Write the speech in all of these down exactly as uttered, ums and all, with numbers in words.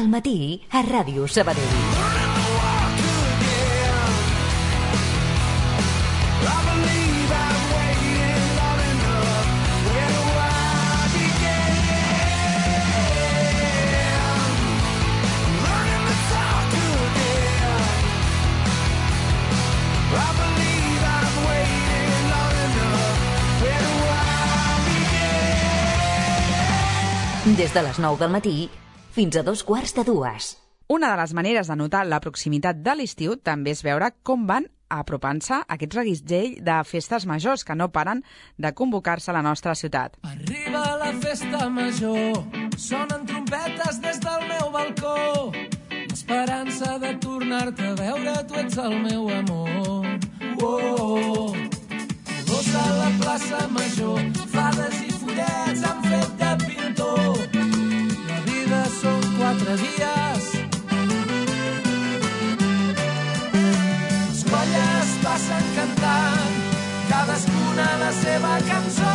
al matí a Ràdio Sabadell. Des de les nou del matí fins a dos quarts de dues. Una de les maneres de notar la proximitat de l'estiu també és veure com van apropant-se aquest reguitzell de festes majors que no paren de convocar-se a la nostra ciutat. Arriba la festa major, sonen trompetes des del meu balcó, l'esperança de tornar-te a veure, tu ets el meu amor. Oh, colors a la plaça major, fades i follets han fet de pintor. La vida són quatre dies, les colles passen cantant, cadascuna la seva cançó.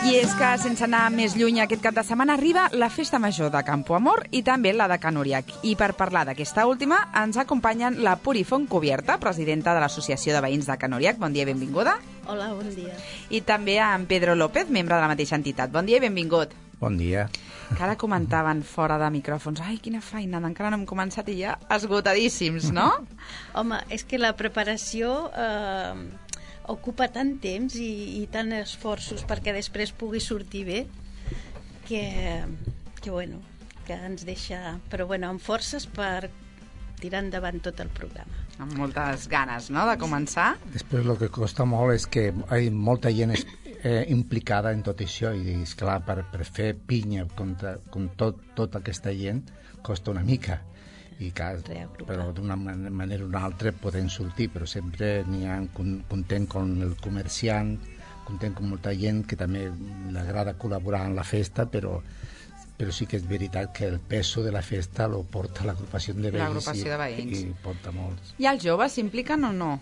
I és que, sense anar més lluny, aquest cap de setmana arriba la Festa Major de Campoamor i també la de Can Oriach. I per parlar d'aquesta última ens acompanyen la Puri Fontcubierta, presidenta de l'Associació de Veïns de Can Oriach. Bon dia i benvinguda. Hola, bon dia. I també a en Pedro López, membre de la mateixa entitat. Bon dia i benvingut. Bon dia. Que ara comentaven fora de micròfons, ai, quina feina, encara no hem començat i ja esgotadíssims, no? Home, és que la preparació eh, ocupa tant temps i, i tant esforços perquè després pugui sortir bé que, que bueno, que ens deixa, però bueno, amb forces per tirar endavant tot el programa. Amb moltes ganes, no?, de començar. Després el que costa molt és que hi ha molta gent eh, implicada en tot això i, esclar, per, per fer pinya contra, con tot, tota aquesta gent costa una mica. I clar, però d'una manera o una altra poden sortir, però sempre n'hi ha content con el comerciant, content con molta gent que també li agrada col·laborar en la festa, però però sí que és veritat que el peso de la festa lo porta l'agrupació de veïns, l'agrupació de veïns. I, i porta molts. I els joves s'impliquen o no?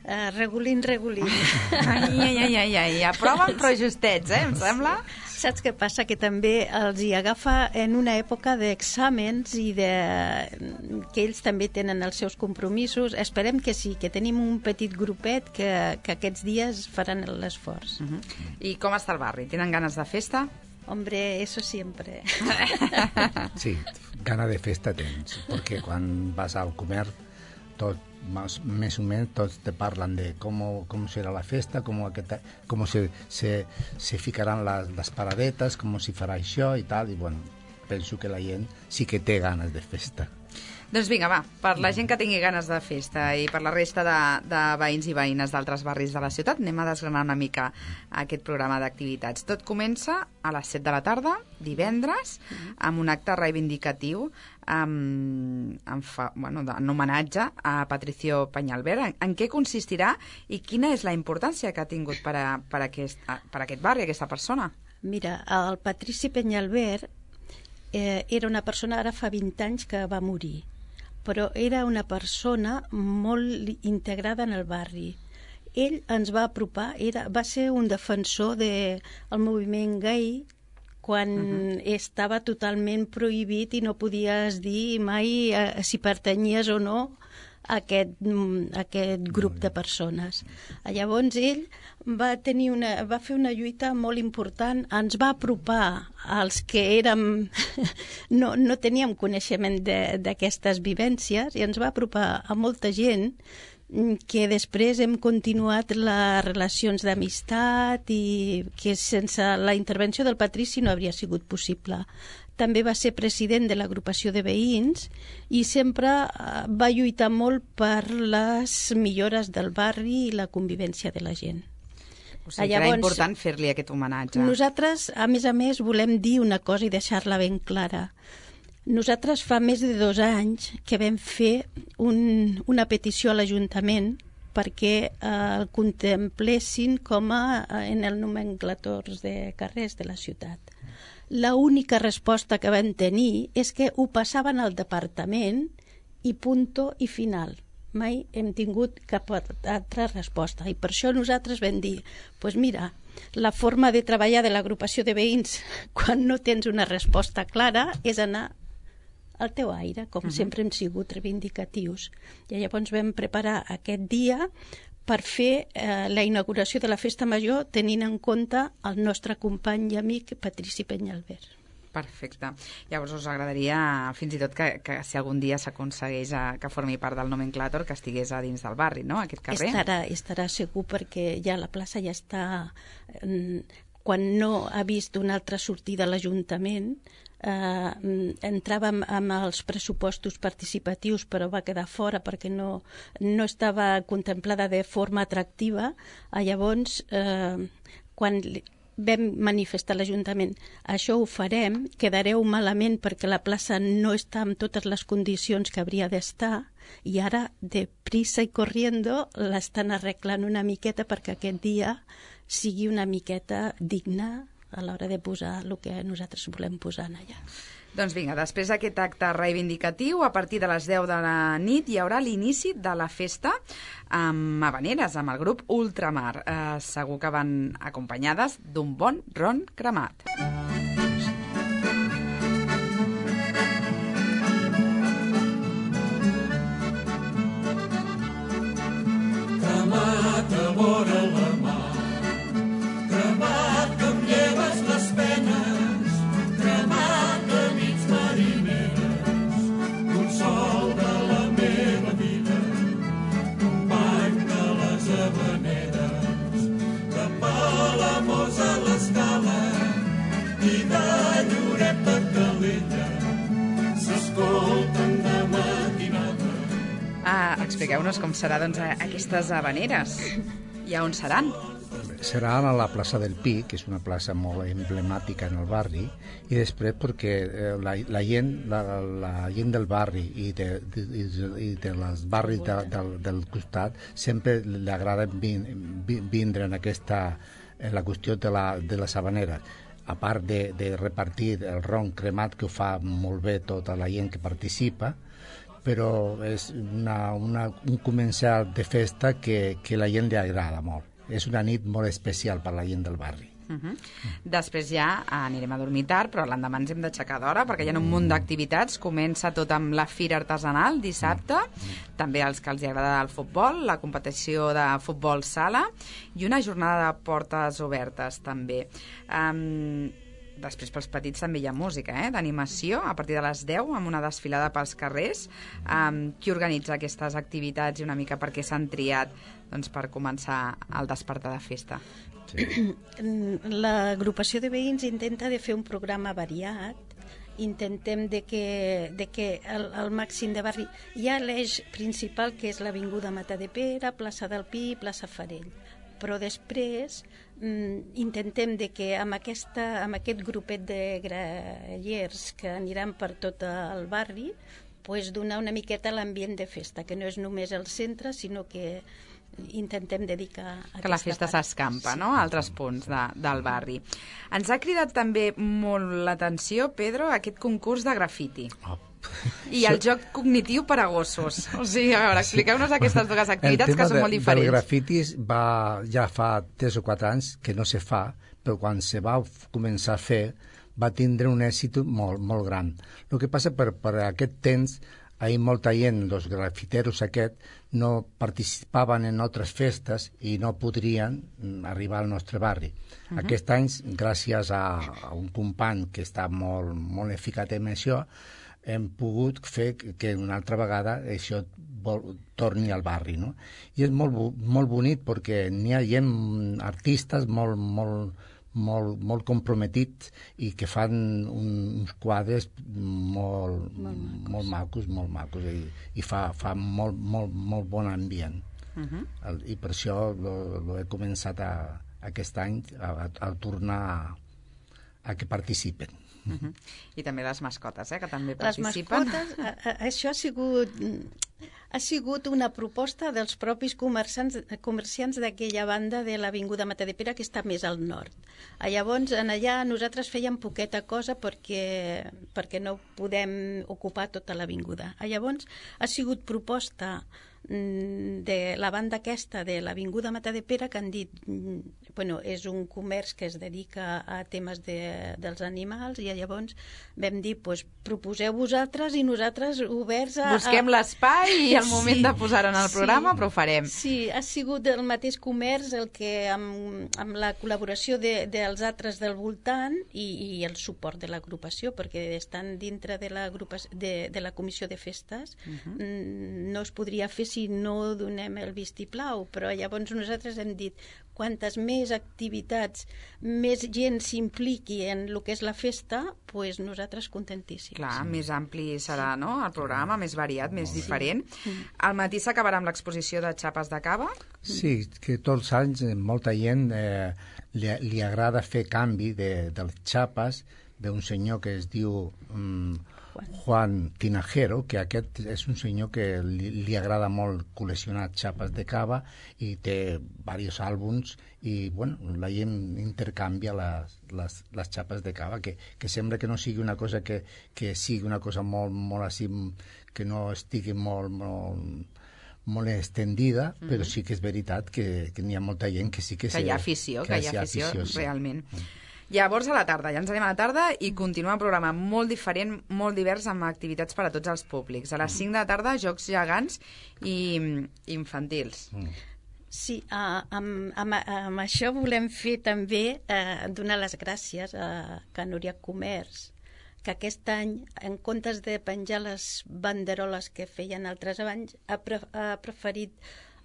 Uh, regulint, regulint. Ai, ai, ai, ai, ai, aproven però justets, eh, em sembla? Saps què passa? Que també els hi agafa en una època d'exàmens i de... que ells també tenen els seus compromisos. Esperem que sí, que tenim un petit grupet que, que aquests dies faran l'esforç. Uh-huh. I com està el barri? Tenen ganes de festa? Hombre, eso siempre. Sí, gana de festa tens, perquè quan vas al comerç, tot, más, més o menys, tots te parlen de com, com serà la festa, com, aquesta, com se, se, se ficaran les, les paradetes, com si farà això i tal, i bueno, penso que la gent sí que té ganes de festa. Doncs vinga, va, per la gent que tingui ganes de festa i per la resta de, de veïns i veïnes d'altres barris de la ciutat, anem a desgranar una mica aquest programa d'activitats. Tot comença a les set de la tarda, divendres, amb un acte reivindicatiu amb, amb fa, bueno, en homenatge a Patricio Peñalver. En, en què consistirà i quina és la importància que ha tingut per, a, per, aquest, per aquest barri, aquesta persona? Mira, el Patrici Peñalver eh, era una persona, ara fa vint anys que va morir, però era una persona molt integrada en el barri. Ell ens va apropar, era, va ser un defensor del moviment gai quan uh-huh. estava totalment prohibit i no podies dir mai eh, si pertanyies o no a aquest, a aquest grup de persones. Llavors ell va, tenir una, va fer una lluita molt important, ens va apropar als que érem, no, no teníem coneixement d'aquestes vivències i ens va apropar a molta gent que després hem continuat les relacions d'amistat i que sense la intervenció del Patrici no hauria sigut possible. També va ser president de l'agrupació de veïns i sempre va lluitar molt per les millores del barri i la convivència de la gent. O sigui, Llavors, era important fer-li aquest homenatge. Nosaltres, a més a més, volem dir una cosa i deixar-la ben clara. Nosaltres fa més de dos anys que vam fer un, una petició a l'Ajuntament perquè eh, el contemplessin com a en el nomenclators de carrers de la ciutat. La única resposta que vam tenir és que ho passaven al departament i punto i final. Mai hem tingut cap altra resposta. I per això nosaltres vam dir, doncs pues mira, la forma de treballar de l'agrupació de veïns quan no tens una resposta clara és anar al teu aire, com uh-huh. sempre hem sigut reivindicatius. I llavors vam preparar aquest dia per fer eh, la inauguració de la Festa Major tenint en compte el nostre company i amic Patrici Peñalver. Perfecte. Llavors us agradaria fins i tot que, que si algun dia s'aconsegueix que formi part del nomenclàtor, que estigués a dins del barri, no?, aquest carrer. Estarà, estarà segur perquè ja la plaça ja està... Quan no ha vist una altra sortida a l'Ajuntament, eh, entràvem amb els pressupostos participatius però va quedar fora perquè no, no estava contemplada de forma atractiva. Llavors, eh, quan vam manifestar a l'Ajuntament això ho farem, quedareu malament perquè la plaça no està en totes les condicions que hauria d'estar i ara, de prisa i corriendo, l'estan arreglant una miqueta perquè aquest dia sigui una miqueta digna a l'hora de posar el que nosaltres volem posar allà. Doncs vinga, després d'aquest acte reivindicatiu, a partir de les deu de la nit hi haurà l'inici de la festa amb havaneres, amb el grup Ultramar. Eh, segur que van acompanyades d'un bon ron cremat. Cremat a vora la mar, cremat que em lleves les penes, cremat de nits marineres, consol de la meva vida, company de les havaneres, de Palamós a l'Escala i de Lloret a Calella, s'escolten de matinada. Ah, expliqueu-nos com serà doncs, aquestes havaneres i a on seran. Serà a la plaça del Pi, que és una plaça molt emblemàtica en el barri, i després perquè eh, la, la, gent, la, la gent del barri i, de, de, i dels barris de, del, del costat sempre li agrada vin, vindre en aquesta en la qüestió de, la, de les havaneres. A part de, de repartir el ron cremat, que ho fa molt bé tota la gent que participa, però és una, una, un començar de festa que, que la gent li agrada molt. És una nit molt especial per la gent del barri. Uh-huh. Després ja anirem a dormir tard, però l'endemà ens hem d'aixecar d'hora perquè hi ha un munt d'activitats. Comença tot amb la fira artesanal dissabte, també als que els agrada el futbol, la competició de futbol sala i una jornada de portes obertes també. Um, Després pels petits també hi ha música, eh? D'animació, a partir de les deu, amb una desfilada pels carrers. Um, qui organitza aquestes activitats i una mica per què s'han triat doncs, per començar el despertar de festa? Sí. L'agrupació de veïns intenta de fer un programa variat. Intentem de que, de que el, el màxim de barri... Hi ha l'eix principal, que és l'Avinguda Matadepera, plaça del Pi, plaça Farell. Però després mm, intentem de que amb, aquesta, amb aquest grupet de grallers que aniran per tot el barri pues, donar una miqueta l'ambient de festa, que no és només el centre, sinó que intentem dedicar a que la festa s'escampa, sí, no?, a altres punts de, del barri. Ens ha cridat també molt l'atenció, Pedro, aquest concurs de grafiti. Oh. I el joc cognitiu per a gossos. O sigui, a veure, expliqueu-nos aquestes dues activitats que són molt diferents. El tema del grafitis va, ja fa tres o quatre anys que no se fa, però quan se va començar a fer va tindre un èxit molt, molt gran. El que passa per, per aquest temps, ahir molta gent, els grafiteros aquest, no participaven en altres festes i no podrien arribar al nostre barri. Uh-huh. Aquest any, gràcies a, a un company que està molt, molt eficat en això, hem pogut fer que una altra vegada això vol, torni al barri, no? I és molt, molt bonic perquè n'hi ha gent, artistes molt, molt, molt, molt comprometits i que fan un, uns quadres molt, molt, molt macos, molt macos i, i fa, fa molt, molt, molt bon ambient. Uh-huh. El, I per això lo, lo he començat a, aquest any a, a, a tornar a, a que participen. Uh-huh. I també les mascotes, eh, que també participen. Les mascotes, a, a, això ha sigut, ha sigut una proposta dels propis comerciants, comerciants d'aquella banda de l'Avinguda Matadepera, que està més al nord. Llavors, en allà nosaltres fèiem poqueta cosa perquè, perquè no podem ocupar tota l'avinguda. Llavors, ha sigut proposta de la banda aquesta de l'Avinguda Matadepera que han dit, bueno, és un comerç que es dedica a temes de, dels animals i llavors vam dir, pues, proposeu vosaltres i nosaltres oberts a... Busquem a... l'espai i el moment sí, de posar-ho en el programa, sí, però ho farem. Sí, ha sigut el mateix comerç el que amb, amb la col·laboració de, dels altres del voltant i, i el suport de l'agrupació, perquè estan dintre de la, de, de la comissió de festes, uh-huh. no es podria fer si no donem el vistiplau, però llavors nosaltres hem dit quantes més activitats, més gent s'impliqui en el que és la festa, pues nosaltres contentíssims. Clar, sí. Més ampli serà, no?, el programa, més variat, més sí. diferent. Al matí s'acabarà amb l'exposició de xapes de cava? Sí, que tots els anys molta gent eh, li, li agrada fer canvi de, de les xapes d'un senyor que es diu... Mm, Juan Tinajero, que aquest és un senyor que li, li agrada molt col·leccionar xapes de cava i té diversos àlbums i, bueno, la gent intercanvia les, les, les xapes de cava, que, que sembla que no sigui una cosa que, que sigui una cosa molt, molt així, que no estigui molt, molt, molt extendida, mm-hmm. però sí que és veritat que, que n'hi ha molta gent que sí que... Que hi ha afició, que, que hi ha afició, afició sí. realment. Mm. Llavors a la tarda, ja ens anem a la tarda i continua un programa molt diferent, molt divers, amb activitats per a tots els públics. A les cinc de la tarda, jocs gegants i infantils. Mm. Sí, uh, amb, amb, amb això volem fer també uh, donar les gràcies a Can Núria Comerç, que aquest any, en comptes de penjar les banderoles que feien altres anys, ha, pre ha preferit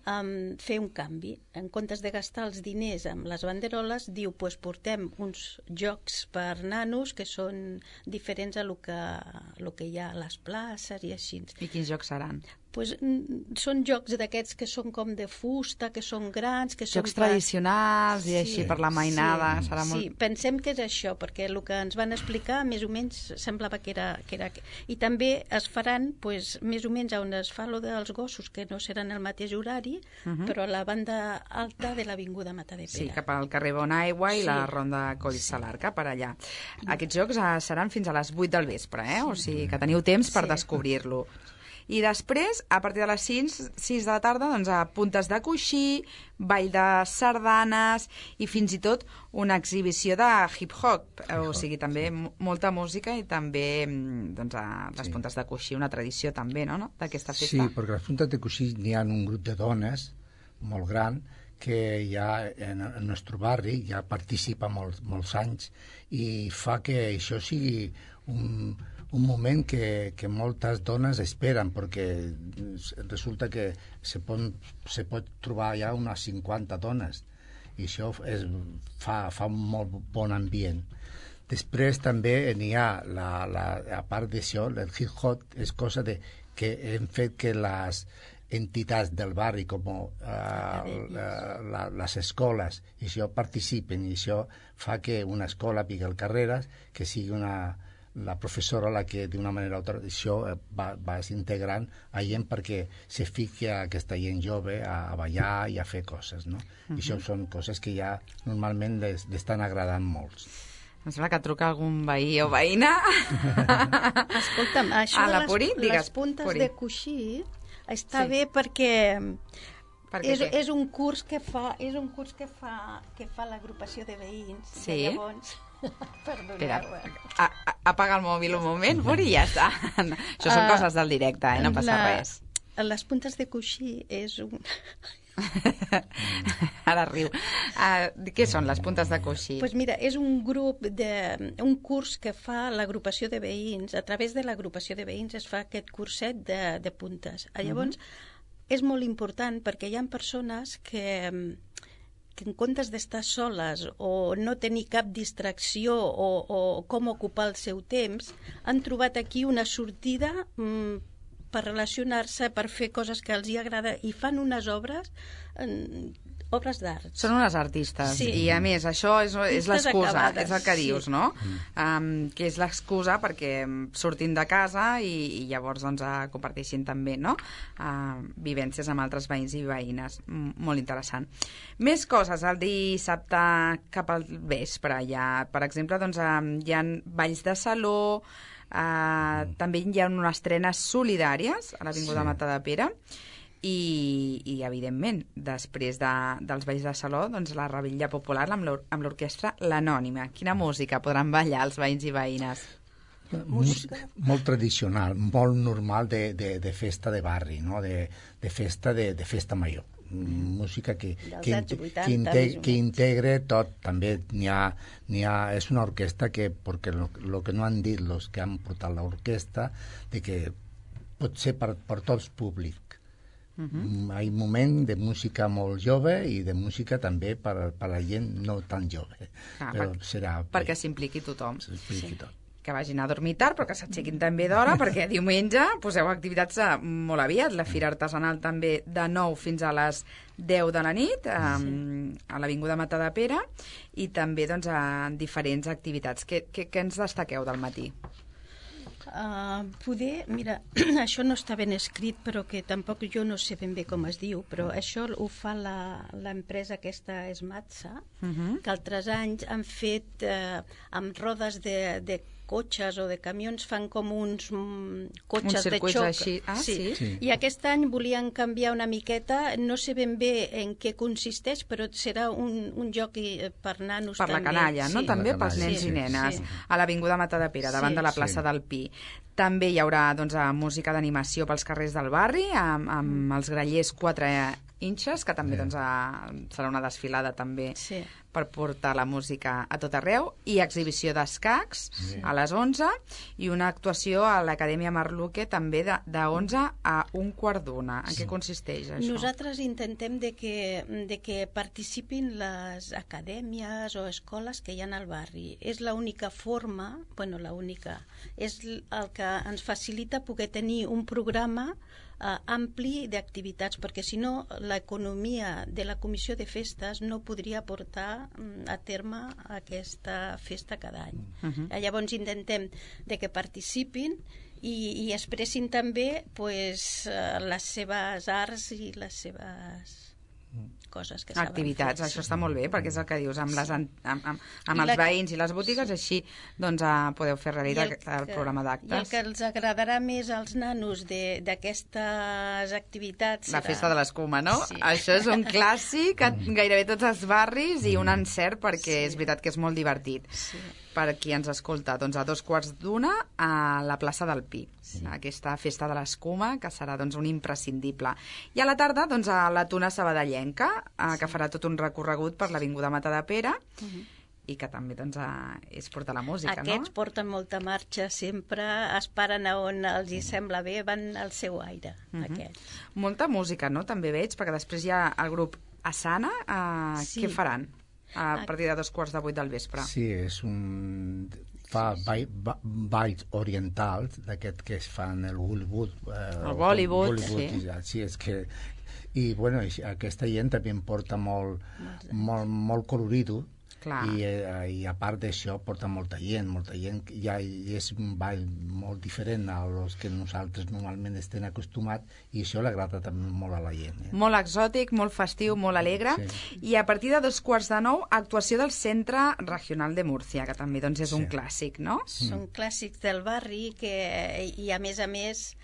Um, fer un canvi. En comptes de gastar els diners amb les banderoles, diu, pues portem uns jocs per nanos que són diferents a lo que, lo que hi ha a les places i així. I quins jocs seran? Pues, són jocs d'aquests que són com de fusta, que són grans... Que jocs són tradicionals i sí, així per la mainada. Sí, serà molt... sí, pensem que és això, perquè el que ens van explicar més o menys semblava que era... Que era... I també es faran pues, més o menys on es fa lo dels gossos, que no seran el mateix horari, uh-huh. però a la banda alta de l'Avinguda Matadepera. Sí, cap al carrer Bonaigua i sí. la ronda Coll Salar, cap per allà. Aquests jocs eh, seran fins a les vuit del vespre, eh? O sigui que teniu temps per sí. descobrir-lo. I després, a partir de les sis de la tarda, doncs, a puntes de coixí, ball de sardanes i fins i tot una exhibició de hip-hop. O sigui, també molta música i també doncs, a les sí. puntes de coixí, una tradició també, no?, no? d'aquesta festa. Sí, perquè a les puntes de coixí n'hi ha un grup de dones molt gran que ja en el nostre barri ja participa molts, molts anys i fa que això sigui un... un moment que, que moltes dones esperen, perquè resulta que se pot, se pot trobar ja unes cinquanta dones, i això és, fa, fa un molt bon ambient. Després també n'hi ha, la, la, a part d'això, el hip-hop és cosa de, que hem fet que les entitats del barri, com uh, la, la, les escoles, i això participen, i això fa que una escola, Miguel Carreras, que sigui una... la professora la que d'una manera o altra això va, va integrant a gent perquè se fiqui a aquesta gent jove a, a ballar i a fer coses, no? Uh-huh. I això són coses que ja normalment les, les estan agradant molts. Em sembla que truca algun veí o veïna. Escolta'm, això de les, Puri, les puntes Puri. de coixí està sí. bé perquè... És, és un curs que fa és un curs que fa que fa l'agrupació de veïns. Sí. Llavors, perdoneu. A, a, apaga el mòbil un moment, Puri, i ja està. No, això són uh, coses del directe, eh? No passa la, res. Les puntes de coixí és un... Ara riu. Uh, què són les puntes de coixí? Pues mira, és un grup de, un curs que fa l'agrupació de veïns. A través de l'agrupació de veïns es fa aquest curset de, de puntes. Llavors, uh-huh. és molt important perquè hi ha persones que, que en comptes d'estar soles o no tenir cap distracció o, o com ocupar el seu temps, han trobat aquí una sortida mm, per relacionar-se, per fer coses que els hi agrada i fan unes obres... Mm, obres d'art. Són unes artistes. Sí. I a més, això és, és l'excusa, és el que dius, sí. no? Um, que és l'excusa perquè sortin de casa i, i llavors doncs, uh, comparteixin també, no? Uh, vivències amb altres veïns i veïnes. M molt interessant. Més coses, el dissabte cap al vespre. Ja, per exemple, doncs, um, hi ha balls de saló, uh, també hi ha unes estrenes solidàries a l'Avinguda sí. Matadepera. I, i evidentment, després de, dels balls de saló, doncs la revetlla popular amb l'or- amb l'orquestra L'Anònima. Quina música podran ballar els veïns i veïnes? Música molt tradicional, molt normal de, de, de festa de barri, no? de, de festa de, de festa major. Música que, que, anys vuitanta, que, inte, més o que menys. integre tot. També n'hi ha, n'hi ha, és una orquestra que, perquè lo, lo que no han dit els que han portat l'orquestra, de que pot ser per, per tots públics. Uh -huh. Hi ha un moment de música molt jove i de música també per, per la gent no tan jove. Ah, però per, serà perquè s'impliqui tothom. s'expliqui tot. Que vagin a dormir tard, però que s'aixequin també d'hora, perquè diumenge poseu activitats eh, molt aviat. La Fira Artesanal també de nou fins a les deu de la nit, um, a l'Avinguda Matadepera, i també doncs, en diferents activitats. Què, què, què ens destaqueu del matí? Uh, poder, mira, això no està ben escrit, però que tampoc jo no sé ben bé com es diu, però això ho fa la- l'empresa aquesta Esmatsa, Uh -huh. que altres anys han fet eh, amb rodes de, de cotxes o de camions, fan com uns mm, cotxes de circuits xoc. així. Ah, sí? Sí. I aquest any volien canviar una miqueta, no sé ben bé en què consisteix, però serà un, un joc eh, per nanos Per la també. canalla, no? Sí. També Per la pels canalla, nens sí, i nenes. sí. A l'Avinguda Matadepera, davant Sí. de la plaça Sí. del Pi. També hi haurà doncs, eh, música d'animació pels carrers del barri, amb, amb els grallers quatre inches, que també Sí. doncs, eh, serà una desfilada també Sí. per portar la música a tot arreu, i exhibició d'escacs a les onze, i una actuació a l'Acadèmia Marluque també de, de onze a un quart d'una. En què consisteix això? Nosaltres intentem de que, de que participin les acadèmies o escoles que hi ha al barri. És l'única forma, bueno, l'única, és el que ens facilita poder tenir un programa eh, ampli d'activitats, perquè si no l'economia de la Comissió de Festes no podria portar mm, a terme aquesta festa cada any. Mhm. Eh, Llavors intentem de que participin i, i expressin també pues, eh, les seves arts i les seves coses que saben Activitats, fer. això està molt bé, perquè és el que dius, amb, les, an- amb, amb, amb I els la- veïns i les botigues, així doncs, eh, podeu fer I realitat el, que- el programa I el d'actes. que els agradarà més als nanos de- d'aquestes activitats La serà- festa de l'escuma, no? Sí. Això és un clàssic a gairebé tots els barris i un encert perquè Sí. és veritat que és molt divertit. Sí. Per qui ens escolta, doncs a dos quarts d'una a la plaça del Pi, sí. Aquesta festa de l'escuma que serà doncs un imprescindible. I a la tarda doncs a la Tuna Sabadellenca, eh, que farà tot un recorregut per l'Avinguda Matadepera, uh -huh. i que també doncs, eh, és portar la música, Aquests no? porten molta marxa, sempre es paren a on els hi sembla bé, van al seu aire, Mhm. aquests. Molta música, no? També veig, perquè després hi ha el grup Asana, eh, Sí. què faran? A partir de dos quarts de vuit del vespre. Sí, és un... fa ball- ba- balls orientals d'aquest que es fan el Bollywood. Eh, El Bollywood, Bollywood sí. i ja, sí, és que... I, bueno, i aquesta gent també em porta molt, molt, molt colorido. Clar. I, eh, i a part d'això porta molta gent, molta gent, ja és un ball molt diferent a los que nosaltres normalment estem acostumats, i això l'agrada també molt a la gent. Eh? Molt exòtic, molt festiu, molt alegre. Sí. I a partir de dos quarts de nou, actuació del Centre Regional de Múrcia, que també doncs, és un Sí. clàssic, no? Són clàssics del barri que, i a més a més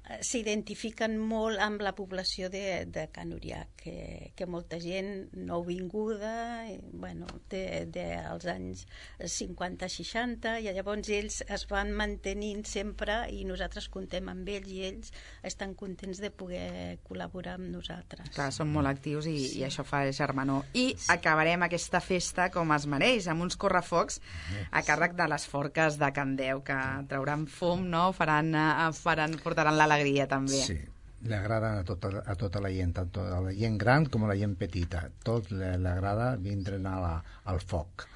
eh, s'identifiquen molt amb la població de, de Can Uriac, que, que molta gent nouvinguda, i, bueno, de, de, als anys cinquanta seixanta, i llavors ells es van mantenint sempre i nosaltres contem amb ells i ells estan contents de poder col·laborar amb nosaltres. Clar, són molt actius i, sí. i això fa germanor. I sí. acabarem aquesta festa com es mereix, amb uns correfocs a càrrec de les forques de Can Deu, que trauran fum, no? Faran, eh, faran, portaran l'alegria també. Sí, li agraden a tota, a tota la gent, tant a la gent gran com a la gent petita. Tot li agrada vindre a la, al foc.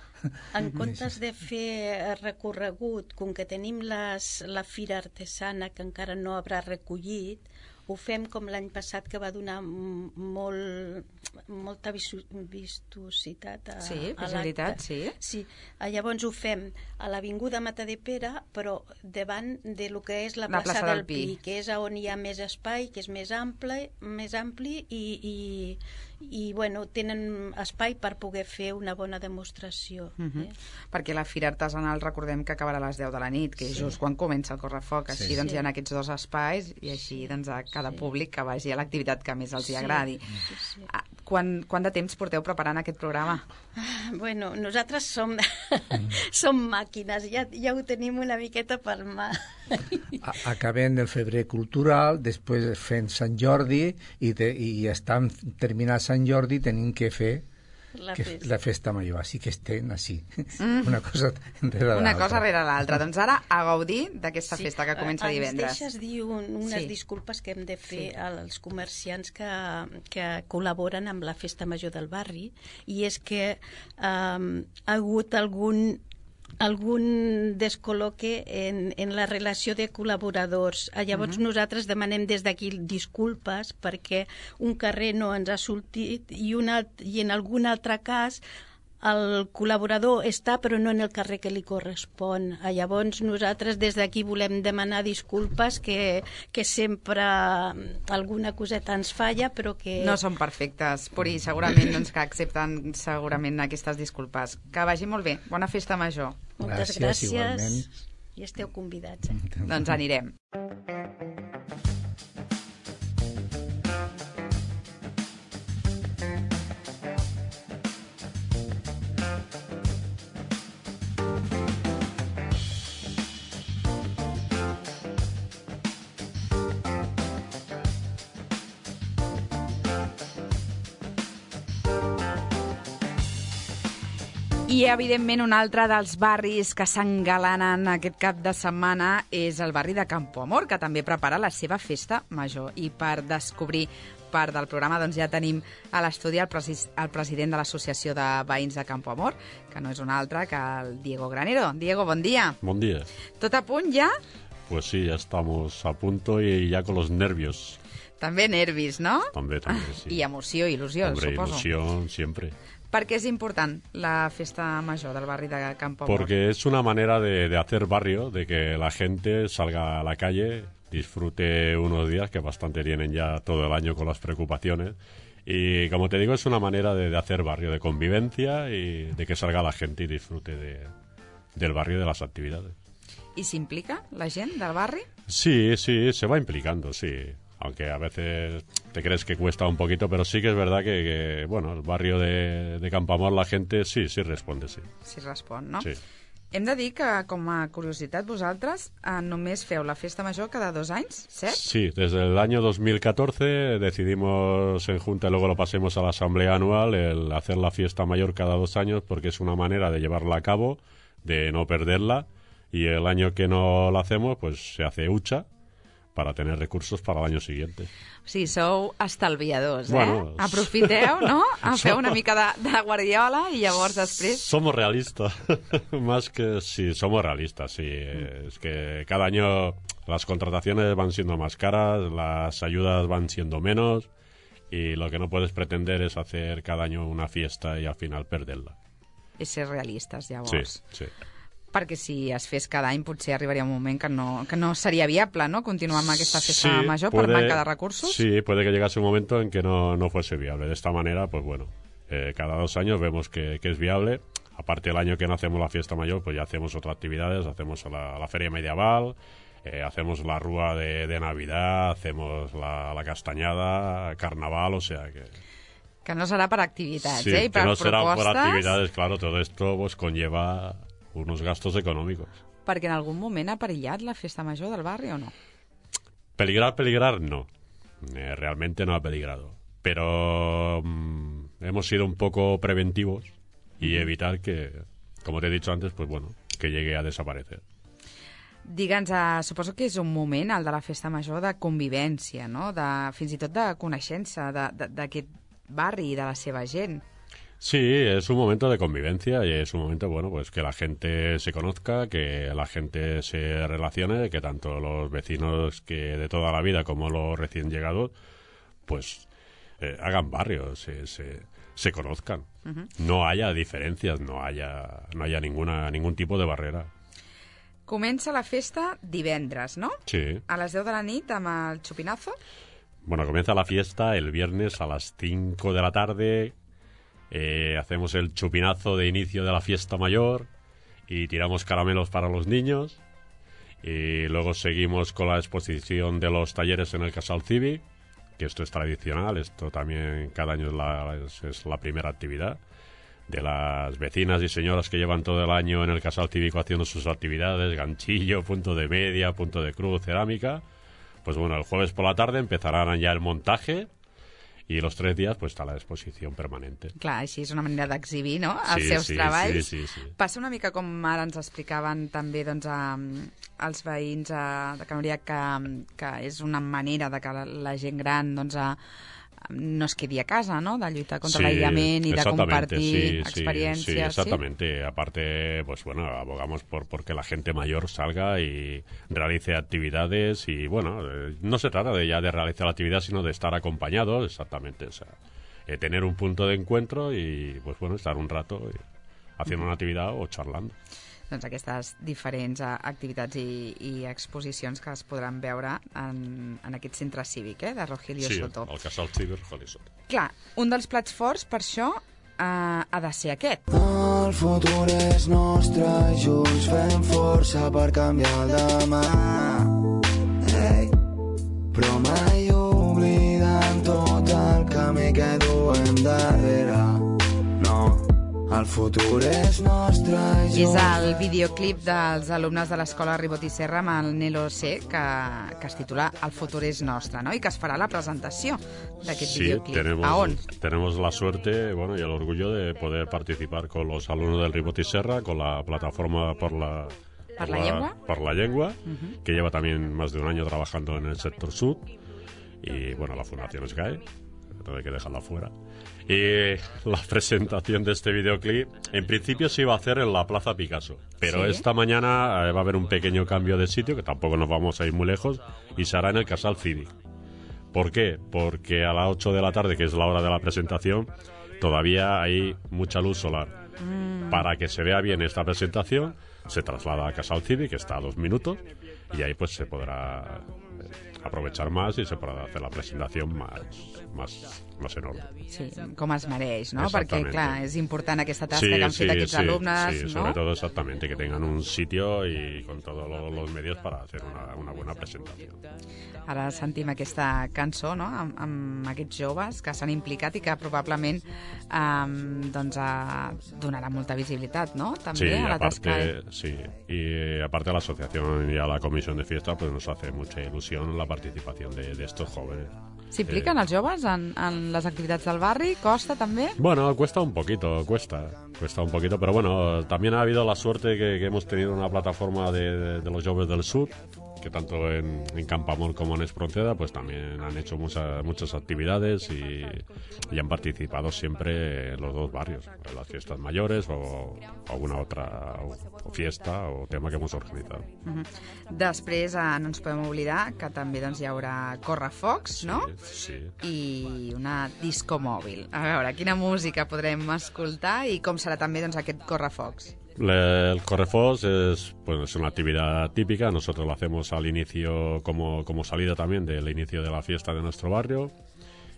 En comptes de fer recorregut, com que tenim les, la fira artesana que encara no haurà recollit, ho fem com l'any passat, que va donar m- molt, molta visu- vistositat a, Sí, a visibilitat, l'acte. sí. Sí. Ah, llavors ho fem a l'Avinguda Matadepera, però davant de lo que és la La plaça, plaça del del Pi, Pi. que és on hi ha més espai, que és més ample, més ampli i, i, i bueno, tenen espai per poder fer una bona demostració. Uh-huh. eh? Perquè la Fira Artesanal, recordem que acabarà a les deu de la nit, que és Sí. just quan comença el correfoc. Així Sí. doncs Sí. hi ha aquests dos espais i així doncs a cada Sí. públic que vagi a l'activitat que més els hi Sí. agradi. Sí, sí. Ah, Quan, quant de temps porteu preparant aquest programa? Bueno, nosaltres som, som màquines, ja, ja ho tenim una miqueta per mà. A- Acabem el febrer cultural, després fent Sant Jordi i, de, i estan terminant Sant Jordi tenim que fer La que, festa. la festa major, així que estem així, mm. una cosa darrere l'altra. Una cosa rere l'altra. Doncs ara a gaudir d'aquesta Sí. festa que comença divendres. Ens deixes dir un, unes Sí. disculpes que hem de fer Sí. als comerciants que, que col·laboren amb la Festa Major del barri, i és que um, ha hagut algun algun descol·loque en, en la relació de col·laboradors. Llavors uh-huh. nosaltres demanem des d'aquí disculpes perquè un carrer no ens ha sortit i, un alt, i en algun altre cas el col·laborador està però no en el carrer que li correspon. Llavors nosaltres des d'aquí volem demanar disculpes, que, que sempre alguna coseta ens falla, però que... No són perfectes, Puri, segurament doncs, que accepten segurament aquestes disculpes. Que vagi molt bé. Bona festa major. Moltes Gràcies, gràcies, igualment. i esteu convidats. Eh? Doncs anirem. I, evidentment, un altre dels barris que s'engalanen aquest cap de setmana és el barri de Campoamor, que també prepara la seva festa major. I per descobrir part del programa doncs ja tenim a l'estudi el, presi el president de l'Associació de Veïns de Campoamor, que no és un altre que el Diego Granero. Diego, bon dia. Buen día. Tot a punt ja? Pues sí, ya estamos a punto y ya con los nervios. També nervis, no? También, también, sí. I emoció, il·lusió, Hombre, suposo. ilusión siempre. Per què és important la festa major del barri de Campoamor? Porque es una manera de, de hacer barrio, de que la gente salga a la calle, disfrute unos días que bastante tienen ya todo el año con las preocupaciones. Y como te digo, es una manera de, de hacer barrio, de convivencia y de que salga la gente y disfrute de, del barrio y de las actividades. I s'implica la gent del barri? Sí, sí, se va implicando, sí. Aunque a veces te crees que cuesta un poquito, pero sí que es verdad que, que bueno, el barrio de, de Campoamor, la gente sí, sí responde, sí. Sí respon, no? Sí. Hem de dir que, com a curiositat, vosaltres eh, només feu la festa major cada dos anys, cert? Sí, desde el año dos mil catorce decidimos en Junta, y luego lo pasemos a la Asamblea Anual, el hacer la fiesta mayor cada dos años, porque es una manera de llevarla a cabo, de no perderla, y el año que no la hacemos, pues se hace hucha, para tener recursos para el año siguiente. O sigui, sou estalviadors, eh? Bueno, Aprofiteu, no? Feu una mica de, de guardiola i llavors després... Somos realistas, más que sí, somos realistas, sí. Mm. Es que cada año las contrataciones van siendo más caras, las ayudas van siendo menos y lo que no puedes pretender es hacer cada año una fiesta y al final perderla. És ser realistes, llavors. Sí, sí. Perquè si es fes cada any potser arribaria un moment que no, que no seria viable, ¿no?, continuar amb aquesta festa Sí, major puede, per manca de recursos. Sí, puede que llegase un momento en que no, no fuese viable. De esta manera, pues bueno, eh, cada dos años vemos que, que es viable. Aparte, el año que no hacemos la fiesta mayor, pues ya hacemos otras actividades, hacemos la, la feria medieval, eh, hacemos la rúa de, de Navidad, hacemos la, la castañada, carnaval, o sea que... Que no serà per activitats, Sí, eh? I que per no será por propostes, actividades, claro, todo esto pues conlleva unos gastos económicos. perquè en algun moment ha perillat la festa major del barri o no? Peligrar, peligrar, no. Eh, realmente no ha peligrado. Pero mmm, hemos sido un poco preventivos y evitar que, como te he dicho antes, pues bueno, que llegue a desaparecer. Digue'ns, eh, suposo que és un moment, el de la festa major, de convivència, no? De, fins i tot de coneixença d'aquest barri i de la seva gent. Sí, es un momento de convivencia y es un momento, bueno, pues que la gente se conozca, que la gente se relacione, que tanto los vecinos que de toda la vida como los recién llegados, pues eh, hagan barrio, se, se, se conozcan. Uh-huh. No haya diferencias, no haya, no haya ninguna, ningún tipo de barrera. Comença la festa divendres, no? Sí. A les deu de la nit amb el xupinazo? Bueno, comienza la fiesta el viernes a las cinco de la tarde. Eh, hacemos el chupinazo de inicio de la fiesta mayor y tiramos caramelos para los niños. Y luego seguimos con la exposición de los talleres en el Casal Cívic, que esto es tradicional, esto también cada año es la, es, es la primera actividad de las vecinas y señoras que llevan todo el año en el Casal Cívico haciendo sus actividades, ganchillo, punto de media, punto de cruz, cerámica. Pues bueno, el jueves por la tarde empezarán ya el montaje i los tres dies pues, està la exposició permanente. Clar, així és una manera d'exhibir, no?, els sí, seus sí, treballs. Sí, sí, sí. Passa una mica com ara ens explicaven també doncs, a, als veïns a, de Can Oriac que, que és una manera de que la, la gent gran doncs, a, no es quedi a casa, ¿no?, de lluitar contra sí, l'aïllament i de compartir sí, experiencias. Sí, sí, exactamente. ¿sí? Aparte, pues bueno, abogamos por porque la gente mayor salga y realice actividades y bueno, eh, no se trata de ya de realizar la actividad, sino de estar acompañados, exactamente, o sea, eh, tener un punto de encuentro y pues bueno, estar un rato eh, haciendo una actividad o charlando. Doncs aquestes diferents uh, activitats i, i exposicions que es podran veure en, en aquest centre cívic, eh, de Rogelio sí, Soto. Sí, el Casal Cívic Rogelio Soto. Clar, un dels plats forts, per això, uh, ha de ser aquest. El futur és nostre, junts fem força per canviar el demà. Hey. Però mai oblidant tot el camí que duem darrere. El futur és nostre. És el videoclip dels alumnes de l'escola Ribot i Serra amb el Nelo C, que, que es titula El futur és nostre, ¿no? I que es farà la presentació d'aquest sí, videoclip. Tenemos, ¿A on? Tenemos la suerte bueno, y el orgullo de poder participar con los alumnos del Ribot y Serra, con la plataforma por la... ¿Por la llengua? Por la lengua, Uh-huh. que lleva también más de un año trabajando en el sector sur. Y bueno, la Fundación SGAE, no hay que dejarla fuera. Y la presentación de este videoclip, en principio se iba a hacer en la Plaza Picasso, pero ¿Sí? esta mañana eh, va a haber un pequeño cambio de sitio, que tampoco nos vamos a ir muy lejos, y se hará en el Casal Cívic. ¿Por qué? Porque a las ocho de la tarde, que es la hora de la presentación, todavía hay mucha luz solar. Mm. Para que se vea bien esta presentación, se traslada a Casal Cívic, que está a dos minutos, y ahí pues se podrá aprovechar más i se podrà fer la presentació més, més, més enorme. Sí, com es mereix, ¿no? Perquè, clar, és important aquesta tasca sí, que han sí, fet aquests sí, alumnes, sí, ¿no? sobre todo exactamente, que tengan un sitio y con todos los, los medios para hacer una, una buena presentación. Ara sentim aquesta cançó, no?, amb, amb aquests joves que s'han implicat i que probablement um, doncs, a, donarà molta visibilitat, ¿no?, també sí, a la aparte, tasca. Sí, y aparte a la asociación y a la comisión de fiesta pues nos hace mucha ilusión la participación de, de estos jóvenes. S'impliquen eh, els joves en, en les activitats del barri? Costa també? Bueno, cuesta un poquito, cuesta, cuesta un poquito, pero bueno, también ha habido la suerte que, que hemos tenido una plataforma de, de, de los jóvenes del sur, que tanto en, en Campamor como en Espronceda pues también han hecho muchas muchas actividades y, y han participado siempre en los dos barrios, en las fiestas mayores o alguna otra o, o fiesta o tema que hemos organizado. Uh-huh. Després eh, no ens podem oblidar que també doncs, hi haurà Correfocs, no? Sí, sí. I una disco mòbil. A veure, quina música podrem escoltar i com serà també doncs, aquest Correfocs? El Correfocs es, pues, es una actividad típica, nosotros lo hacemos al inicio como, como salida también del inicio de la fiesta de nuestro barrio.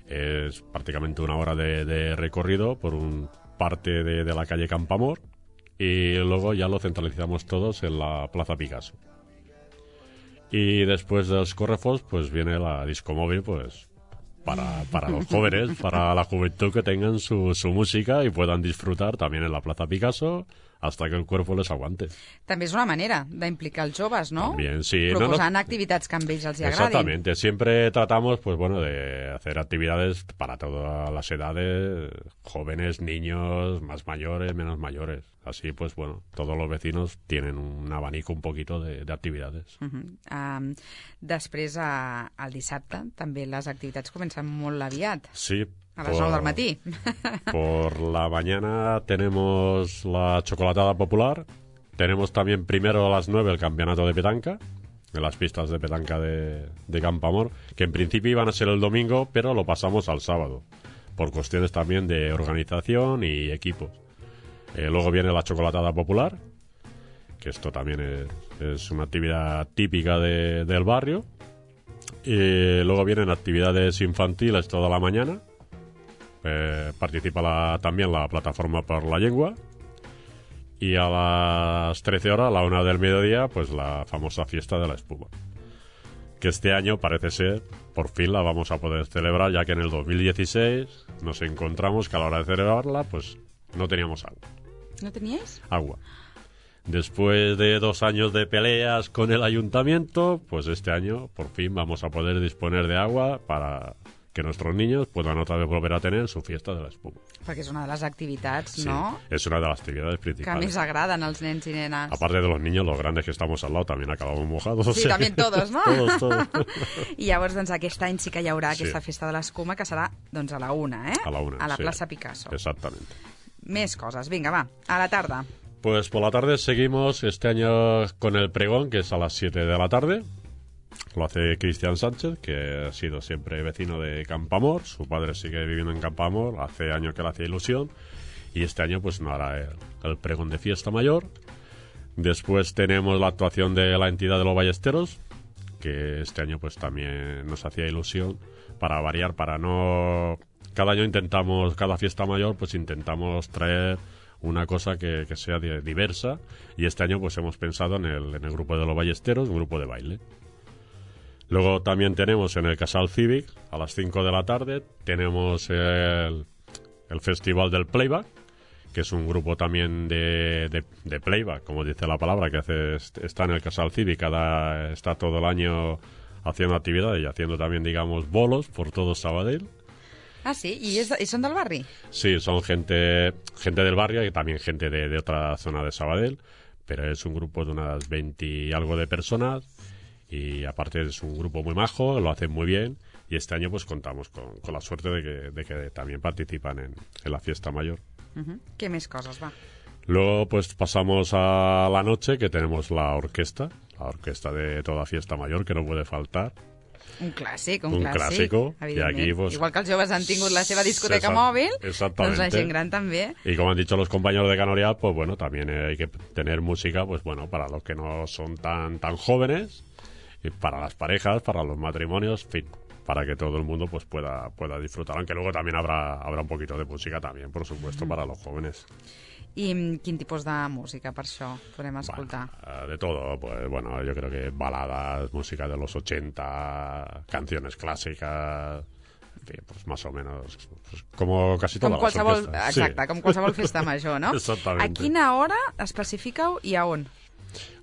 Es prácticamente una hora de, de recorrido por un parte de, de la calle Campamor y luego ya lo centralizamos todos en la Plaza Picasso. Y después de los Correfocs pues viene la disco móvil, pues para, para los jóvenes, para la juventud, que tengan su, su música y puedan disfrutar también en la Plaza Picasso hasta que el cuerpo les aguante. També és una manera d'implicar els joves, ¿no? También, sí. Proposant no, no, activitats que a ells els agradin. Exactamente. Siempre tratamos, pues bueno, de hacer actividades para todas las edades, jóvenes, niños, más mayores, menos mayores. Así, pues bueno, todos los vecinos tienen un abanico un poquito de, de actividades. Uh-huh. um, després, uh, el dissabte, també les activitats comencen molt aviat. Sí. A las nueve del matí. Por la mañana tenemos la chocolatada popular. Tenemos también primero a las nueve el campeonato de petanca, en las pistas de petanca de, de Campamor, que en principio iban a ser el domingo, pero lo pasamos al sábado, por cuestiones también de organización y equipos. Eh, luego viene la chocolatada popular, que esto también es, es una actividad típica de, del barrio. Y luego vienen actividades infantiles toda la mañana. Eh, participa la, también la plataforma por la lengua. Y a las trece horas, a la una del mediodía, pues la famosa fiesta de la espuma. Que este año parece ser, por fin la vamos a poder celebrar, ya que en el dos mil dieciséis nos encontramos que a la hora de celebrarla, pues no teníamos agua. ¿No teníais? Agua. Después de dos años de peleas con el ayuntamiento, pues este año por fin vamos a poder disponer de agua para que nuestros niños puedan otra vez volver a tener su fiesta de la espuma. Perquè és una de les activitats, Sí, no?, es una de las actividades que principales. més agraden als nens i nenes. Aparte de los niños, los grandes que estamos al lado también acabamos mojados. o Sí, sea también que- todos, no? todos, todos. I llavors, doncs, aquest any sí que hi haurà Sí. aquesta festa de l'escuma, que serà, doncs, a la una, eh? A la una, A la sí. plaça Picasso. Exactamente. Més coses. Vinga, va, a la tarda. Pues por la tarde seguimos este año con el pregón, que es a las siete de la tarde. Lo hace Cristian Sánchez, que ha sido siempre vecino de Campamor. Su padre sigue viviendo en Campamor, hace años que le hacía ilusión. Y este año pues no hará el, el pregón de fiesta mayor. Después tenemos la actuación de la entidad de los Ballesteros, que este año pues también nos hacía ilusión, para variar, para no... Cada año intentamos, cada fiesta mayor, pues intentamos traer una cosa que, que sea di- diversa, y este año pues hemos pensado en el, en el grupo de los Ballesteros, un grupo de baile. Luego también tenemos en el Casal Cívic, a las cinco de la tarde, tenemos el, el Festival del Playback, que es un grupo también de, de, de playback, como dice la palabra, que hace, está en el Casal Cívic, cada, está todo el año haciendo actividades y haciendo también, digamos, bolos por todo Sabadell. Ah, sí? I, és, i són del barri? Sí, son gente, gente del barrio y también gente de, de otra zona de Sabadell, pero es un grupo de unas veinte y algo de personas, y aparte es un grupo muy majo, lo hacen muy bien, y este año pues contamos con, con la suerte de que, de que también participan en, en la fiesta mayor. Uh-huh. Què més coses, va? Luego pues pasamos a la noche, que tenemos la orquesta, la orquesta de toda fiesta mayor, que no puede faltar. Un clàssic, un, Un clàssic, clásico, i evidentment. aquí, pues, Igual que els joves han tingut la seva discoteca Exact- mòbil, exactamente. doncs la gent gran també. Y como han dicho los compañeros de Canorial, pues bueno, también eh, hay que tener música, pues bueno, para los que no son tan tan jóvenes, y para las parejas, para los matrimonios, en fin, para que todo el mundo pues pueda pueda disfrutar, aunque luego también habrá habrá un poquito de música también, por supuesto, para los jóvenes. I mm, quin tipus de música, per això, podem escoltar? Bueno, eh, de todo, pues bueno, yo creo que baladas, música de los ochenta, canciones clásicas, en fin, pues más o menos, pues, como casi Com todas las qualsevol, orquestas. exacte, Sí. com qualsevol festa major, no? Exactamente. A quina hora especifiqueu i a on?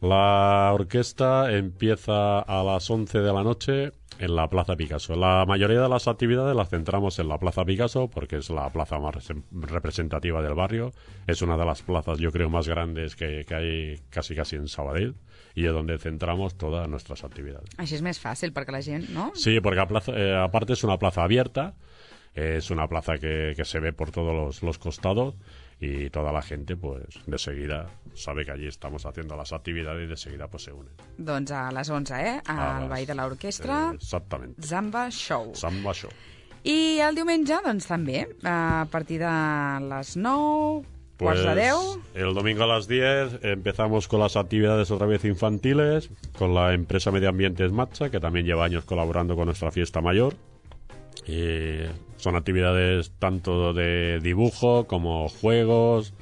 La orquesta empieza a las once de la noche en la Plaza Picasso. La mayoría de las actividades las centramos en la Plaza Picasso porque es la plaza más res- representativa del barrio. Es una de las plazas, yo creo, más grandes que, que hay casi casi en Sabadell, y es donde centramos todas nuestras actividades. Així és més fàcil perquè la gent, no? Sí, porque a plaza- eh, aparte es una plaza abierta, es una plaza que, que se ve por todos los, los costados, y toda la gente pues de seguida sabe que allí estamos haciendo las actividades y de seguida pues se unen. Doncs a les onze, eh? A Al les- Ball de l'Orquestra, Eh, exactamente. Zamba Show. Samba Show. I el diumenge, doncs també, a partir de les nou, Pues quarts de deu... el domingo a las diez empezamos con las actividades otra vez infantiles, con la empresa Medio Ambiente Esmatcha, que también lleva años colaborando con nuestra fiesta mayor. Y son actividades tanto de dibujo como juegos,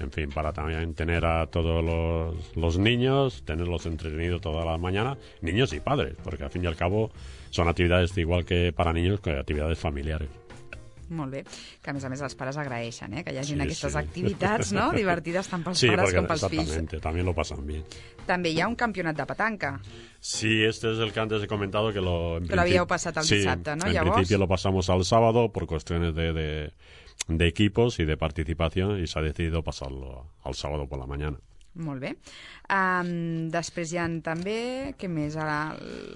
en fin, para también tener a todos los, los niños, tenerlos entretenidos toda la mañana, niños y padres, porque al fin y al cabo son actividades igual que para niños, que actividades familiares. Molt bé, que a més a més els pares agraeixen, eh? Que hi hagin Sí, aquestes sí. activitats, no?, divertides tant pels Sí, pares porque com pels fills. exactamente, también lo pasan bien. També hi ha un campionat de petanca. Sí, este es el que antes he comentado que lo... en Que lo habíeu principi- passat el sí, dissabte, no? en Llavors- principio lo pasamos al sábado por cuestiones de, de, de equipos y de participación, y se ha decidido pasarlo al sábado por la mañana. Molt bé. Um, després hi ha també, què més, a la,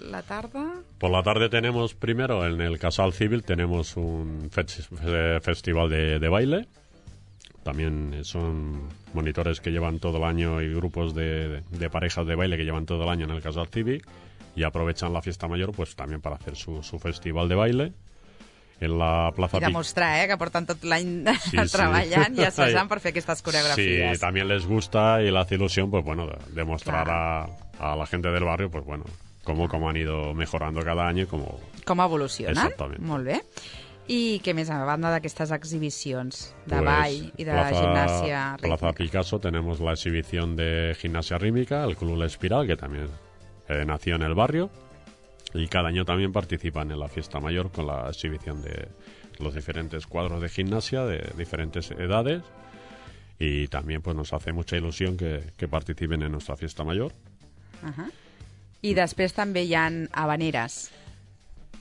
la tarda? Por la tarde tenemos primero en el Casal Civil tenemos un fe- fe- festival de, de baile. También son monitores que llevan todo el año y grupos de, de parejas de baile que llevan todo el año en el Casal Cívic, y aprovechan la fiesta mayor pues también para hacer su, su festival de baile en la Plaza I Pic- demostrar, eh, que porten tot l'any Sí, sí. treballant i assajant per fer aquestes coreografies. Sí, también les gusta y le hace ilusión, pues bueno, de- demostrar a, a la gente del barrio, pues bueno, cómo, cómo han ido mejorando cada año y cómo... Com evolucionen. Exactament. Molt bé. I què més, a banda d'aquestas exhibicions de Pues, ball y de Plaza, gimnasia rítmica? Plaza Picasso tenemos la exhibición de gimnasia rítmica, el Club La Espiral, que también eh, nació en el barrio, y cada año también participan en la fiesta mayor con la exhibición de los diferentes cuadros de gimnasia de diferentes edades, y también pues nos hace mucha ilusión que, que participen en nuestra fiesta mayor. Uh-huh. I després també hi ha habaneres.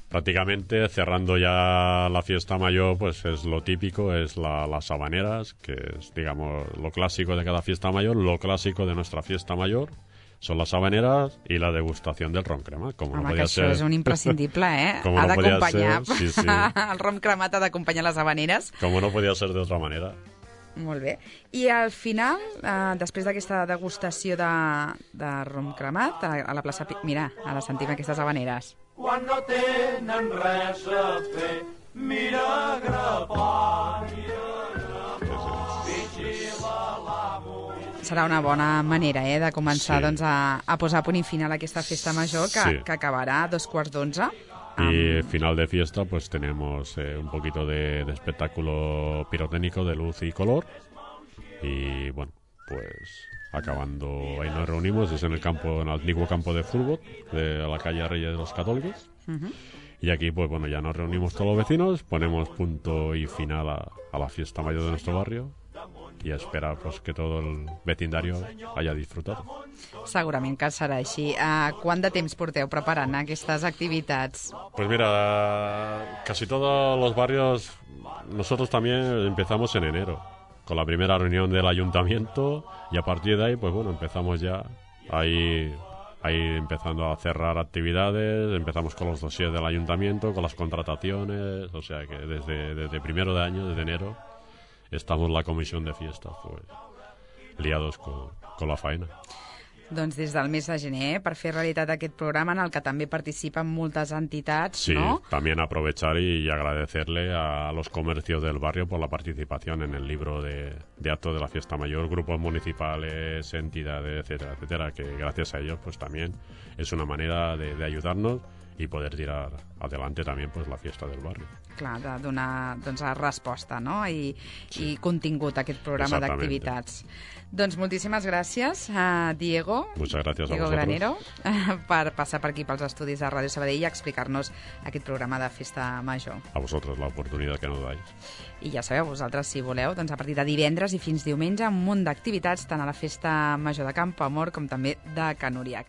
Prácticamente cerrando ya la fiesta mayor, pues es lo típico, es la, las habaneras, que es, digamos, lo clásico de cada fiesta mayor. Lo clásico de nuestra fiesta mayor son las habaneras y la degustación del ron crema. Como Home, no que podía això ser... és un imprescindible, eh? Como ha no podía d'acompanyar. ser, sí, sí. El rom cremat ha d'acompanyar les habaneres. Como no podía ser de otra manera. Molt bé. I al final, eh, després d'aquesta degustació de, de rom cremat, a, a la plaça... Pi- Mira, ara sentim aquestes habaneres. Quan no tenen res a fer, mira grapar, Serà una bona manera eh, de començar Sí. doncs, a, a posar punt i final a aquesta festa major que, Sí. que acabarà a dos quarts d'onze. Y final de fiesta, pues tenemos eh, un poquito de, de espectáculo pirotécnico de luz y color. Y bueno, pues acabando, ahí nos reunimos, es en el campo, en el antiguo campo de fútbol de la calle Reyes de los Católicos. Uh-huh. Y aquí, pues bueno, ya nos reunimos todos los vecinos, ponemos punto y final a, a la fiesta mayor de nuestro barrio y a esperar pues que todo el vecindario haya disfrutado. Segurament que serà així. Uh, quant de temps porteu preparant aquestes activitats? Pues mira, casi todos los barrios, nosotros también empezamos en enero, con la primera reunión del ayuntamiento, y a partir de ahí, pues bueno, empezamos ya ahí, ahí empezando a cerrar actividades, empezamos con los dossiers del ayuntamiento, con las contrataciones, o sea que desde, desde primero de año, desde enero, estamos la comisión de fiestas, pues liados con, con la faena. Doncs des del mes de gener, per fer realitat aquest programa en el que també participen moltes entitats, Sí, no? también aprovechar y agradecerle a los comercios del barrio por la participación en el libro de, de actos de la fiesta mayor, grupos municipales, entidades, etcétera, etcétera, que gracias a ellos pues también es una manera de, de ayudarnos y poder tirar adelante también pues la fiesta del barrio. Clar, de donar doncs, resposta no? I, sí. i contingut a aquest programa Exactamente. d'activitats. Doncs moltíssimes gràcies a Diego, Muchas gracias a Diego vosotros. Granero, per passar per aquí pels estudis de Ràdio Sabadell i explicar-nos aquest programa de Festa Major. A vosotros la oportunidad que nos dais. I ja sabeu, vosaltres, si voleu, doncs a partir de divendres i fins diumenge, un munt d'activitats tant a la Festa Major de Campoamor com també de Can Uriac.